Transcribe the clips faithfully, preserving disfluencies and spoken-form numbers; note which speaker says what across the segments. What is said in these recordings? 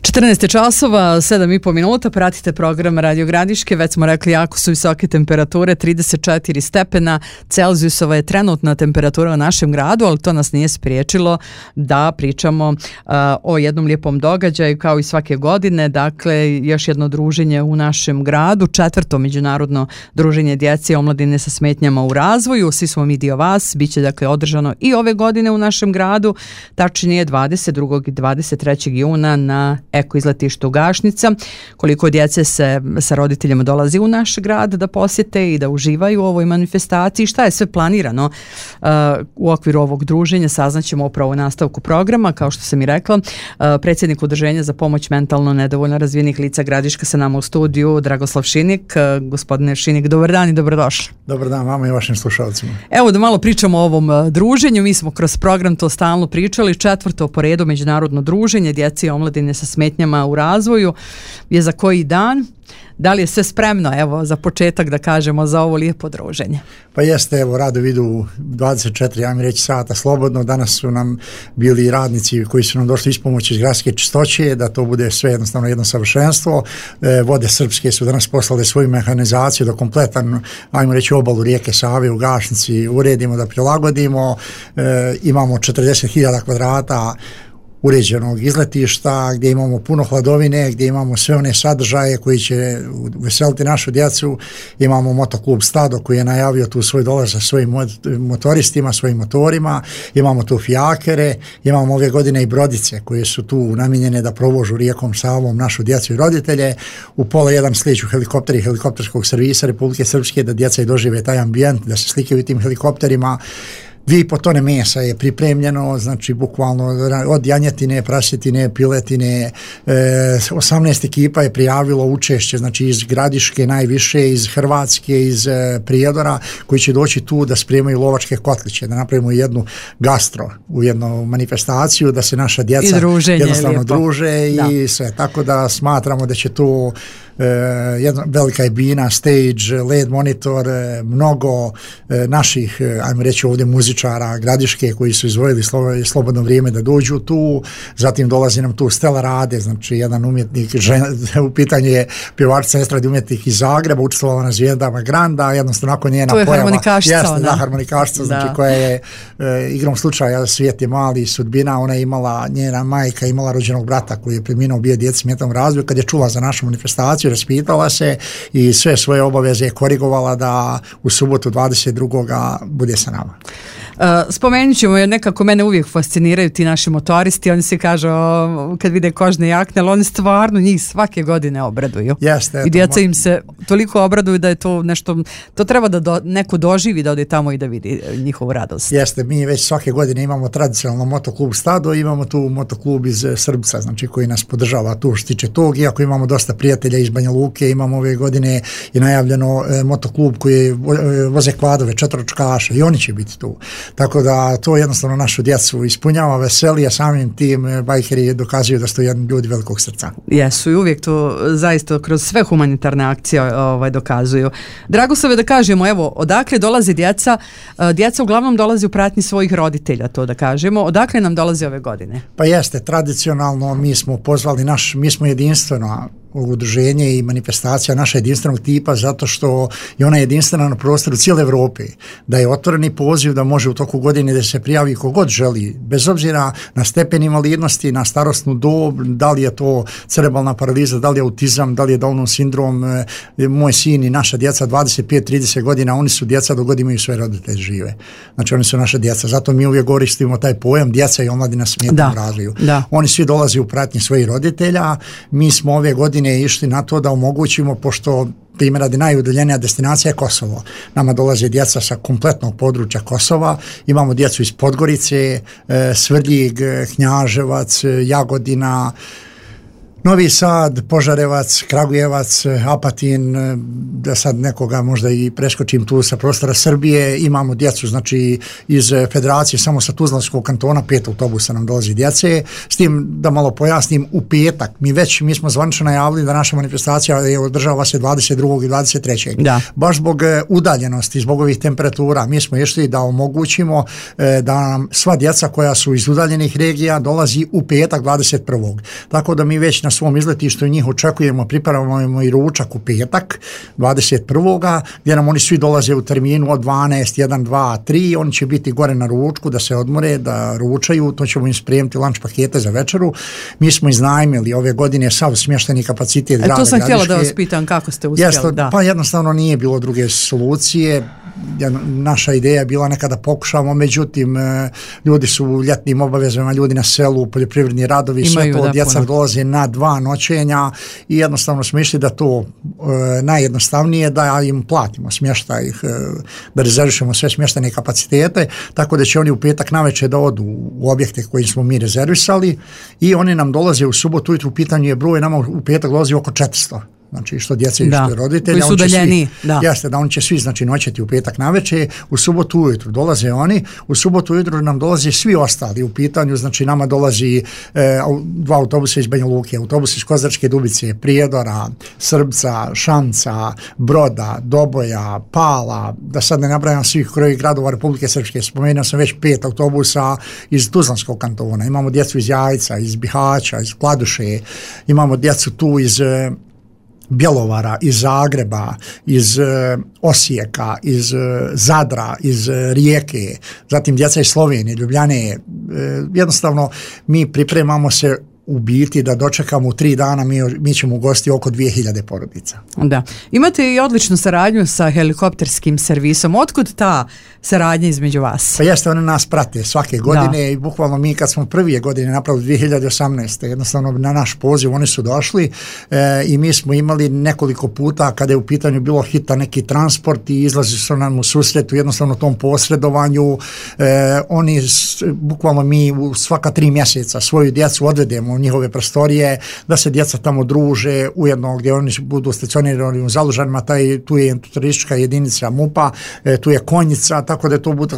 Speaker 1: četrnaest časova, sedam i po minuta, pratite program Radio Gradiške, već smo rekli jako su visoke temperature, trideset četiri stepena Celzijusova je trenutna temperatura u našem gradu, ali to nas nije spriječilo da pričamo uh, o jednom lijepom događaju kao i svake godine, dakle još jedno druženje u našem gradu, četvrto međunarodno druženje djece i omladine sa smetnjama u razvoju, svi smo mi dio vas, bit će dakle održano i ove godine u našem gradu, tačnije dvadeset drugog i dvadeset trećeg juna na Eko izletištu Gašnica. Koliko djece se sa roditeljima dolazi u naš grad da posjete i da uživaju u ovoj manifestaciji, šta je sve planirano uh, u okviru ovog druženja, saznaćemo upravo u nastavku programa. Kao što sam i rekla, uh, predsjednik Udruženja za pomoć mentalno nedovoljno razvijenih lica Gradiška sa nama u studiju, Dragoslav Šinik. Uh, gospodine Šinik, dobar dan i dobrodošli.
Speaker 2: Dobar dan vama i vašim slušalcima.
Speaker 1: Evo da malo pričamo o ovom uh, druženju, mi smo kroz program to stalno pričali, četvrto po redu međunarodno druženje djece i omladine sa smetnjama u razvoju je za koji dan? Da li je sve spremno, evo, za početak da kažemo za ovo lijepo druženje?
Speaker 2: Pa jeste, evo, rado vidu dvadeset četiri, ja mi reći, sata slobodno. Danas su nam bili radnici koji su nam došli ispomoći iz gradske čistoće, da to bude sve jednostavno jedno savršenstvo. E, vode srpske su danas poslali svoju mehanizaciju da kompletan, ajmo reći, obalu rijeke Save u Gašnici uredimo, da prilagodimo. E, imamo četrdeset hiljada kvadrata uređenog izletišta, gdje imamo puno hladovine, gdje imamo sve one sadržaje koji će veseliti našu djecu. Imamo motoklub Stado koji je najavio tu svoj dolaz sa svojim motoristima, svojim motorima. Imamo tu fijakere, imamo ove godine i brodice koje su tu namijenjene da provožu rijekom Savom našu djecu i roditelje. U pola jedan slijeću helikopteri helikopterskog servisa Republike Srpske da djeca i dožive taj ambijent, da se slikaju tim helikopterima. Dvije i po tone mesa je pripremljeno, znači bukvalno od janjetine, prasetine, piletine, e, osamnaest ekipa je prijavilo učešće, znači iz Gradiške najviše, iz Hrvatske, iz e, Prijedora, koji će doći tu da spremaju lovačke kotliće, da napravimo jednu gastro u jednu manifestaciju, da se naša djeca jednostavno lijepo druže i da. Sve, tako da smatramo da će tu e, jedna velika je bina, stage, L E D monitor, e, mnogo e, naših, e, ajmo reći ovdje muzičara Gradiške koji su izvojili slo, slobodno vrijeme da dođu tu, zatim dolazi nam tu Stela Rade, znači jedan umjetnik, žen, u pitanju je pjevačica estradi umjetnik iz Zagreba, učestvovala na Zvijezdama Granda, jednostavno nakon njena pojava. To je harmonikašica, jeste, da, harmonikašica, znači koja je e, igrom slučaja, svijet je mali, sudbina, ona je imala, njena majka imala rođenog brata koji je preminuo, bio djeci smetnom razvoju, kad je čula za našu manifestaciju, raspitala se i sve svoje obaveze je korigovala da u subotu dvadeset drugog bude sa nama.
Speaker 1: Uh, spomenut ćemo, jer nekako mene uvijek fasciniraju ti naši motoristi, oni se kažu o, kad vide kožne jakne, ali oni stvarno njih svake godine obraduju.
Speaker 2: Jeste,
Speaker 1: i djeca im se toliko obraduju da je to nešto, to treba da do, neko doživi da ode tamo i da vidi njihovu radost.
Speaker 2: Jeste, mi već svake godine imamo tradicionalno motoklub Stado, imamo tu motoklub iz Srbca, znači koji nas podržava tu što tiče tog, iako imamo dosta prijatelja iz Banja Luke, imamo ove godine i najavljeno e, motoklub koji e, voze kvadove, četvoročkaša i oni će biti tu. Tako da to jednostavno našu djecu ispunjava, veseli, a samim tim bajkeri dokazuju da su jedni ljudi velikog srca.
Speaker 1: Jesu i uvijek to zaista kroz sve humanitarne akcije ovaj, dokazuju. Dragoslave, da kažemo, evo, odakle dolaze djeca? Djeca uglavnom dolazi u pratnji svojih roditelja, to da kažemo. Odakle nam dolaze ove godine?
Speaker 2: Pa jeste, tradicionalno mi smo pozvali naš, mi smo jedinstveno udruženje i manifestacija naša jedinstvenog tipa zato što je ona jedinstvena na prostoru cijele Evrope, da je otvoreni poziv da može u toku godine da se prijavi kogod želi, bez obzira na stepen invalidnosti, na starosnu dob, da li je to cerebralna paraliza, da li je autizam, da li je Downov sindrom. Moj sin i naša djeca dvadeset pet trideset godina, oni su djeca dok god imaju sve roditelji žive. Znači oni su naša djeca, zato mi uvijek koristimo taj pojam djeca i omladina smetnjom razvoju. Oni svi dolaze u pratnji svojih roditelja, mi smo ove godine išli na to da omogućimo, pošto primjer radi najudaljenija destinacija je Kosovo. Nama dolaze djeca sa kompletnog područja Kosova, imamo djecu iz Podgorice, Svrljig, Knjaževac, Jagodina, Novi Sad, Požarevac, Kragujevac, Apatin, da sad nekoga možda i preskočim tu sa prostora Srbije, imamo djecu znači iz federacije, samo sa Tuzlanskog kantona, pet autobusa nam dolazi djece, s tim da malo pojasnim, u petak, mi već, mi smo zvanično najavili da naša manifestacija je održava se dvadeset drugog i dvadeset trećeg Da. Baš zbog udaljenosti, zbog ovih temperatura, mi smo išli da omogućimo da nam sva djeca koja su iz udaljenih regija dolazi u petak dvadeset prvog Tako da mi već na svom izletištu i njih očekujemo, pripremamo i ručak u petak, dvadeset prvog gdje nam oni svi dolaze u terminu od dvanaest, jedan, dva, tri, oni će biti gore na ručku da se odmore, da ručaju, to ćemo im spremiti lunch pakete za večeru. Mi smo iznajmili ove godine sav smješteni kapacitet grada
Speaker 1: Gradiške. E, to sam
Speaker 2: Gradiške.
Speaker 1: htjela da vas pitam kako ste uspjeli.
Speaker 2: Jeste,
Speaker 1: da.
Speaker 2: Pa jednostavno nije bilo druge solucije. Naša ideja je bila nekada pokušamo, međutim ljudi su u ljetnim obavezama, ljudi na selu, poljoprivredni radovi, imaju, sve to, da, djeca puno. Dolaze na dva noćenja i jednostavno smo išli da to e, najjednostavnije da im platimo smještaj, e, da rezervišemo sve smještene kapacitete, tako da će oni u petak navečer da odu u objekte koje smo mi rezervisali i oni nam dolaze u subotu ujutru, u pitanju je broj, nama u petak dolazi oko četiristo. Znači što djece i što roditelja,
Speaker 1: koji su udaljeni,
Speaker 2: da. Jeste, da oni će svi znači noćeti u petak navečer, u subotu ujutru dolaze oni, u subotu ujutru nam dolaze svi ostali u pitanju, znači nama dolazi e, dva autobusa iz Banja Luke, autobus iz Kozarske Dubice, Prijedora, Srbca, Šanca, Broda, Doboja, Pala, da sad ne nabrajam svih krojih gradova Republike Srpske, spomenuo sam već pet autobusa iz Tuzlanskog kantona, imamo djecu iz Jajca, iz Bihaća, iz Kladuše, imamo djecu tu iz Bjelovara, iz Zagreba, iz e, Osijeka, iz e, Zadra, iz e, Rijeke, zatim djeca iz Slovenije, Ljubljane. E, jednostavno mi pripremamo se u biti da dočekamo u tri dana, mi, mi ćemo ugostiti oko dvije hiljade porodica.
Speaker 1: Da. Imate i odličnu saradnju sa helikopterskim servisom. Otkud ta saradnja između vas?
Speaker 2: Pa jeste, oni nas prate svake godine da. I bukvalno mi kad smo prve godine napravili dvije hiljade osamnaeste. jednostavno na naš poziv oni su došli e, i mi smo imali nekoliko puta kada je u pitanju bilo hitan neki transport i izlazi su nam u susretu jednostavno tom posredovanju. E, oni, bukvalno mi u svaka tri mjeseca svoju djecu odvedemo u njihove prostorije, da se djeca tamo druže, ujedno gdje oni budu stacionirani u Zalužanima, taj, tu je turistička jedinica MUP-a, e, tu je konjica, tako da to bude,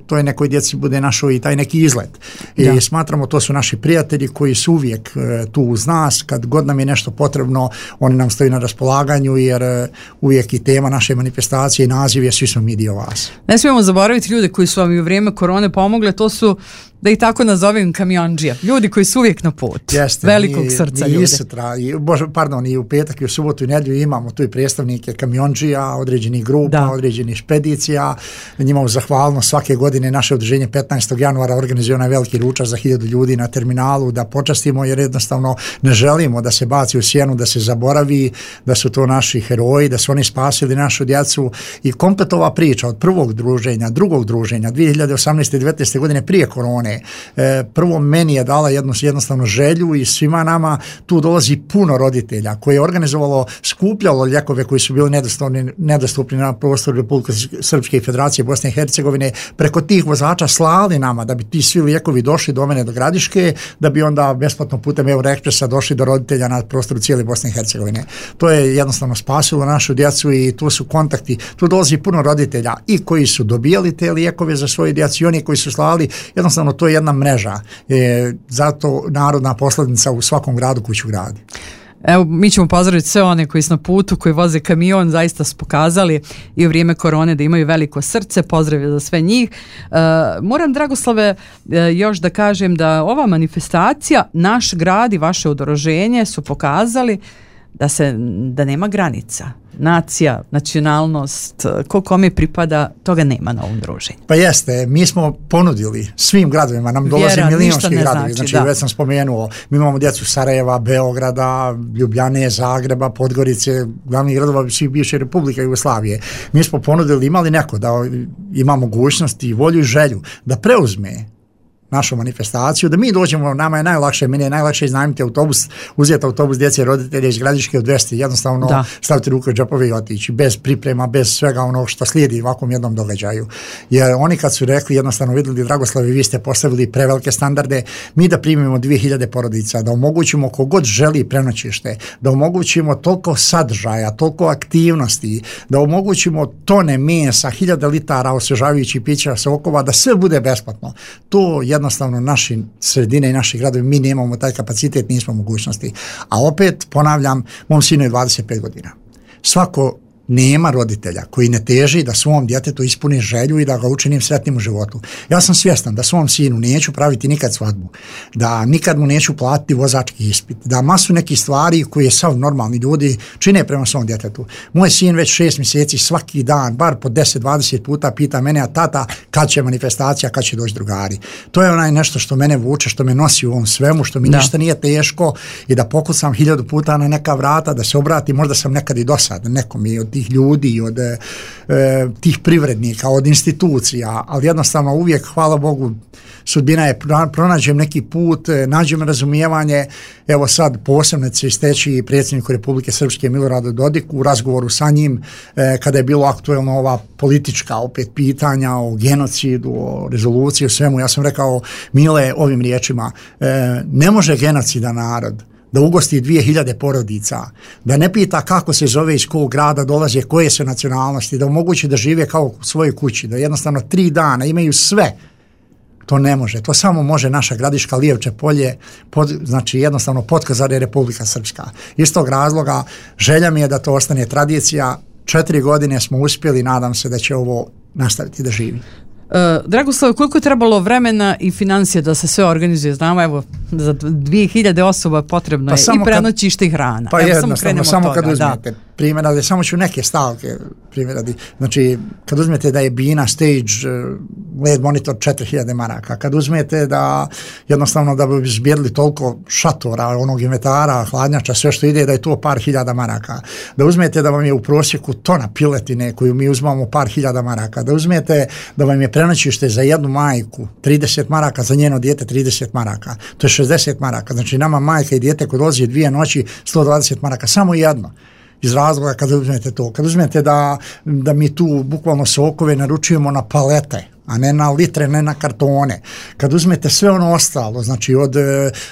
Speaker 2: to je nekoj djeci bude našo i taj neki izlet. I da. Smatramo, to su naši prijatelji koji su uvijek e, tu uz nas, kad god nam je nešto potrebno, oni nam stoji na raspolaganju, jer e, uvijek i tema naše manifestacije i naziv je svi smo mi dio vas.
Speaker 1: Ne smijemo zaboraviti ljude koji su vam i u vrijeme korone pomogle, to su, da ih tako nazovem, kamionđija. Ljudi koji su uvijek na put.
Speaker 2: Jeste,
Speaker 1: velikog
Speaker 2: mi,
Speaker 1: srca
Speaker 2: mi
Speaker 1: ljudi.
Speaker 2: Sutra, i, bože, pardon, i u petak i u subotu i nedjelju imamo tu i predstavnike kamionđija, određenih grupa, da. Određenih špedicija. Njima u zahvalnost svake godine naše udruženje petnaestog januara organizuje onaj veliki ručak za hiljadu ljudi na terminalu da počastimo, jer jednostavno ne želimo da se baci u sjenu, da se zaboravi, da su to naši heroji, da su oni spasili našu djecu i komplet ova priča od prvog druženja, drugog druženja, dvije hiljade osamnaeste i devetnaeste godine prije korone. E, prvo meni je dala jednu jednostavno želju i svima nama tu dolazi puno roditelja koje je organizovalo, skupljalo lijekove koji su bili nedostupni, nedostupni na prostoru Republike Srpske i Federacije Bosne i Hercegovine, preko tih vozača slali nama da bi ti svi lijekovi došli do mene do Gradiške, da bi onda besplatno putem Euroekspresa došli do roditelja na prostoru cijele Bosne i Hercegovine. To je jednostavno spasilo našu djecu i tu su kontakti, tu dolazi puno roditelja i koji su dobijali te lijekove za svoje djecu i oni koji su slali, jednostavno to je jedna mreža. E, zato narodna poslovnica u svakom gradu kuću gradi.
Speaker 1: Evo, mi ćemo pozdraviti sve one koji su na putu, koji voze kamion, zaista su pokazali i u vrijeme korone da imaju veliko srce, pozdrav za sve njih. E, moram, Dragoslave, e, još da kažem da ova manifestacija, naš grad i vaše udruženje su pokazali da se da nema granica. Nacija, nacionalnost, ko kome pripada, toga nema na ovom druženju.
Speaker 2: Pa jeste, mi smo ponudili svim gradovima, nam dolaze
Speaker 1: Vjera,
Speaker 2: milijunski gradovi,
Speaker 1: znači,
Speaker 2: znači već sam spomenuo, mi imamo djecu Sarajeva, Beograda, Ljubljane, Zagreba, Podgorice, glavnih gradova svih bivše Republike Jugoslavije. Mi smo ponudili, imali neko da ima mogućnost i volju i želju da preuzme našu manifestaciju, da mi dođemo, nama je najlakše, meni je najlakše iznajmiti autobus, uzeti autobus djece i roditelja iz Gradiške od dvesta, jednostavno da. Staviti ruku u džepove i otići, bez priprema, bez svega onog što slijedi u ovakvom jednom događaju. Jer oni kad su rekli, jednostavno vidjeli, Dragoslavi, vi ste postavili prevelike standarde, mi da primimo dvije hiljade porodica, da omogućimo kogod želi prenoćište, da omogućimo toliko sadržaja, toliko aktivnosti, da omogućimo tone mesa, hiljada litara osvežavajućih pića, sokova, da sve bude besplatno. To jednostavno naši sredine i naši gradovi, mi nemamo taj kapacitet, nismo mogućnosti. A opet, ponavljam, mom sinu je dvadeset pet godina. Svako nema roditelja koji ne teži da svom djetetu ispuni želju i da ga učinim sretnim u životu. Ja sam svjestan da svom sinu neću praviti nikad svadbu, da nikad mu neću platiti vozački ispit, da masu nekih stvari koje sav normalni ljudi čine prema svom djetetu. Moj sin već šest mjeseci svaki dan, bar po deset dvadeset puta pita mene, a tata, kad će manifestacija, kad će doći drugari. To je onaj nešto što mene vuče, što me nosi u ovom svemu, što mi da. ništa nije teško i da pokucam hiljadu puta na neka vrata, da se obratim, možda sam nekad i dosadan nekom i od tih ljudi, od e, tih privrednika, od institucija, ali jednostavno uvijek, hvala Bogu, sudbina je, pronađem neki put, nađem razumijevanje. Evo sad posebno će isteći predsjedniku Republike Srpske Miloradu Dodiku u razgovoru sa njim e, kada je bilo aktuelno ova politička opet pitanja o genocidu, o rezoluciji, o svemu. Ja sam rekao, Mile, ovim riječima, e, ne može genocidan narod da ugosti dvije hiljade porodica, da ne pita kako se zove, iz kog grada dolaze, koje su nacionalnosti, da omogući da žive kao u svojoj kući, da jednostavno tri dana imaju sve. To ne može. To samo može naša Gradiška, Lijevče polje, pod, znači jednostavno Podkozar je Republika Srpska. Iz tog razloga želja mi je da to ostane tradicija. Četiri godine smo uspjeli, nadam se da će ovo nastaviti da živi.
Speaker 1: Uh, Dragoslav, koliko je trebalo vremena i financije da se sve organizuje? Znamo, evo, za dvije hiljade osoba potrebno
Speaker 2: pa
Speaker 1: je i prenoćište i hrana.
Speaker 2: Pa
Speaker 1: evo,
Speaker 2: jednostavno,
Speaker 1: samo,
Speaker 2: samo
Speaker 1: toga,
Speaker 2: kad uzmete da. primjer radi, samo ću neke stavke primjer radi. Znači, kad uzmete da je Bina Stage led monitor četiri hiljade maraka, kad uzmete da jednostavno da bi zbjerili toliko šatora, onog inventara, hladnjača, sve što ide, da je to par hiljada maraka, da uzmete da vam je u prosjeku tona piletine koju mi uzmamo par hiljada maraka, da uzmete da vam je prenoćište za jednu majku trideset maraka, za njeno dijete trideset maraka, to je šezdeset maraka, znači nama majka i dijete koji dolazi dvije noći sto dvadeset maraka, samo jedno. Iz razloga kad uzmete to, kad uzmete da, da mi tu bukvalno sokove naručujemo na palete, a ne na litre, ne na kartone. Kad uzmete sve ono ostalo, znači od,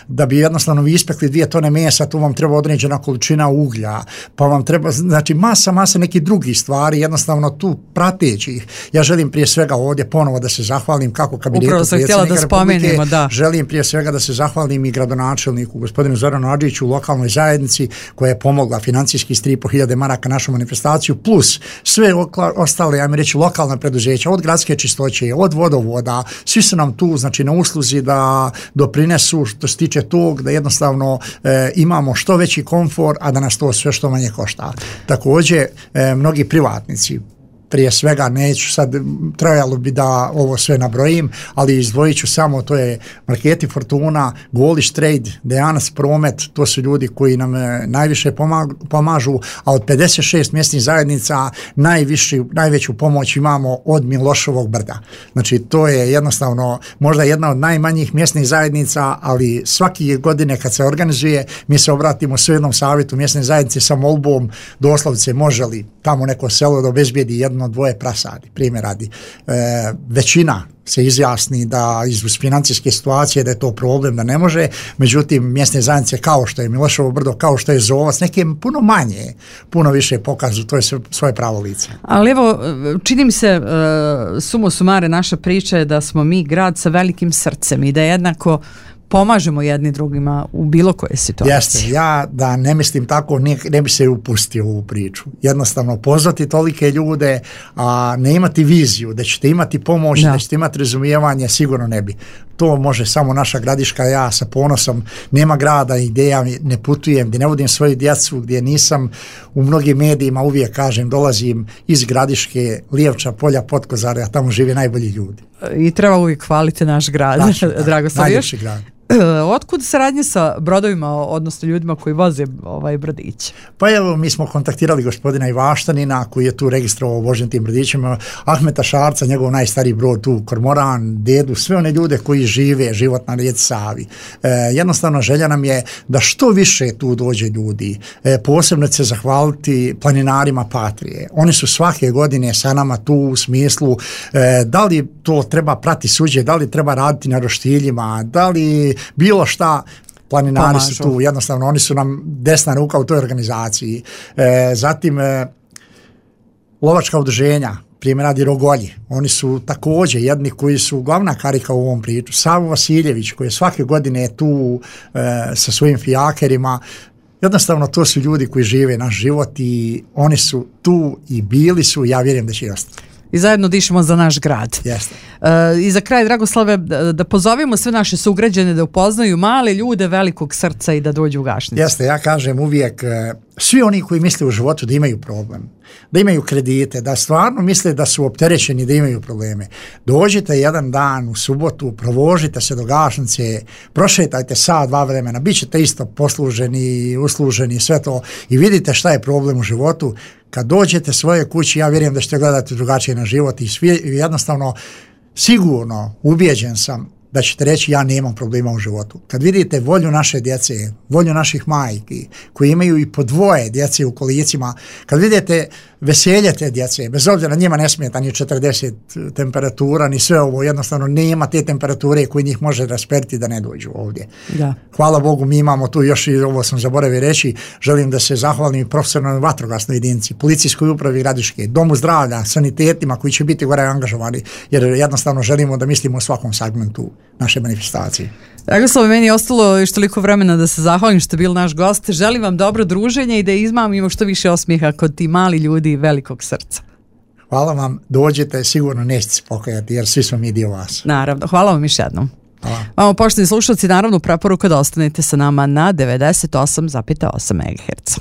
Speaker 2: da bi jednostavno vi ispekli dvije tone mesa, tu vam treba određena količina uglja, pa vam treba, znači masa, masa nekih drugih stvari, jednostavno tu prateći ih. Ja želim prije svega ovdje ponovo da se zahvalim kako kabinetu predsjednika Republike,
Speaker 1: da.
Speaker 2: želim prije svega da se zahvalim i gradonačelniku, gospodinu Zoranu Adžiću u lokalnoj zajednici koja je pomogla financijski s tri i po hiljade maraka našu manifestaciju, plus sve ostale, ja mi reći, lokalna preduzeća, od gradske čistoće, od vodovoda, svi su nam tu, znači na usluzi da doprinesu što se tiče tog, da jednostavno e, imamo što veći komfor, a da nas to sve što manje košta. Također, e, mnogi privatnici, prije svega neću sad, trajalo bi da ovo sve nabrojim, ali izdvojit ću samo, to je Marketi Fortuna, Goliš Trade, Dejanac Promet, to su ljudi koji nam najviše pomažu, a od pedeset šest mjesnih zajednica najviši, najveću pomoć imamo od Miloševog brda. Znači to je jednostavno možda jedna od najmanjih mjesnih zajednica, ali svake godine kad se organizuje, mi se obratimo s jednom savjetu mjesne zajednice sa molbom, doslovce može li tamo neko selo da obezbijedi jedno dvoje prasadi, primjer radi. E, većina se izjasni da iz financijske situacije da je to problem, da ne može, međutim mjesne zajednice kao što je Miloševo brdo, kao što je Zovac, neke puno manje, puno više pokažu, to je svoje pravo lice.
Speaker 1: Ali evo, čini mi se, uh, sumo sumare naša priča je da smo mi grad sa velikim srcem i da jednako pomažemo jedni drugima u bilo koje situacije.
Speaker 2: Jeste, ja da ne mislim tako, ne, ne bi se upustio u ovu priču. Jednostavno, pozvati tolike ljude, a ne imati viziju, da ćete imati pomoć, da, da ćete imati razumijevanje, sigurno ne bi. To može samo naša Gradiška, ja sa ponosom, nema grada gdje ja ne putujem, gdje ne vodim svoju djecu, gdje nisam u mnogim medijima, uvijek kažem, dolazim iz Gradiške, Lijevča, Polja, Podkozara, a tamo žive najbolji ljudi.
Speaker 1: I treba uvijek hvaliti naš grad, naš, da, Dragoslav.
Speaker 2: Najljepši grad.
Speaker 1: Otkud saradnje sa brodovima, odnosno ljudima koji voze ovaj brodić?
Speaker 2: Pa evo, mi smo kontaktirali gospodina Ivaštanina koji je tu registrovao vožnje tim brodićima, Ahmeta Šarca, njegov najstariji brod tu, Kormoran, Dedu, sve one ljude koji žive život na rijeci Savi. E, jednostavno želja nam je da što više tu dođe ljudi. E, posebno će se zahvaliti planinarima Patrije. Oni su svake godine sa nama tu u smislu e, da li to treba prati suđe, da li treba raditi na roštiljima, da li bilo šta, planinari pomažu. Su tu, jednostavno oni su nam desna ruka u toj organizaciji. E, zatim e, lovačka udruženja, primjer radi Rogolji, oni su također jedni koji su glavna karika u ovom priču. Savo Vasiljević koji je svake godine tu e, sa svojim fijakerima. jednostavno to su ljudi koji žive naš život i oni su tu i bili su, ja vjerujem da će i ostati.
Speaker 1: I zajedno dišemo za naš grad.
Speaker 2: Jeste.
Speaker 1: Uh, I za kraj, Dragoslave, da, da pozovemo sve naše sugrađane da upoznaju male ljude velikog srca i da dođu u Gašnicu.
Speaker 2: Jeste, ja kažem uvijek, svi oni koji misle u životu da imaju problem, da imaju kredite, da stvarno misle da su opterećeni, da imaju probleme, dođite jedan dan u subotu, provožite se do Gašnice, prošetajte sat, dva vremena, bit ćete isto posluženi, usluženi, sve to i vidite šta je problem u životu. Kad dođete svoje kući, ja vjerujem da ćete gledati drugačije na život i svi, jednostavno, sigurno, ubijeđen sam da ćete reći ja nemam problema u životu. Kad vidite volju naše djece, volju naših majki, koji imaju i po dvoje djece u kolicima, kad vidite veselje te djece, bez obzira njima ne smeta ni četrdeset temperatura, ni sve ovo, jednostavno nema te temperature koji njih može rasperti da ne dođu ovdje.
Speaker 1: Da.
Speaker 2: Hvala Bogu, mi imamo tu još i ovo sam zaboravio reći, želim da se zahvalim profesionalnoj vatrogasnoj jedinici, policijskoj upravi Gradiške, domu zdravlja, sanitetima koji će biti gore angažovani, jer jednostavno želimo da mislimo o svakom segmentu naše manifestacije.
Speaker 1: Dragoslav, meni je ostalo još toliko vremena da se zahvalim što je bil naš gost. Želim vam dobro druženje i da izmamimo što više osmijeha kod ti mali ljudi velikog srca.
Speaker 2: Hvala vam, dođete, sigurno nećete se pokajati jer svi smo mi dio vas.
Speaker 1: Naravno, hvala vam još jednom.
Speaker 2: Hvala.
Speaker 1: Vamo, poštovani slušalci, naravno preporuka da ostanete sa nama na devedeset osam zarez osam megaherca.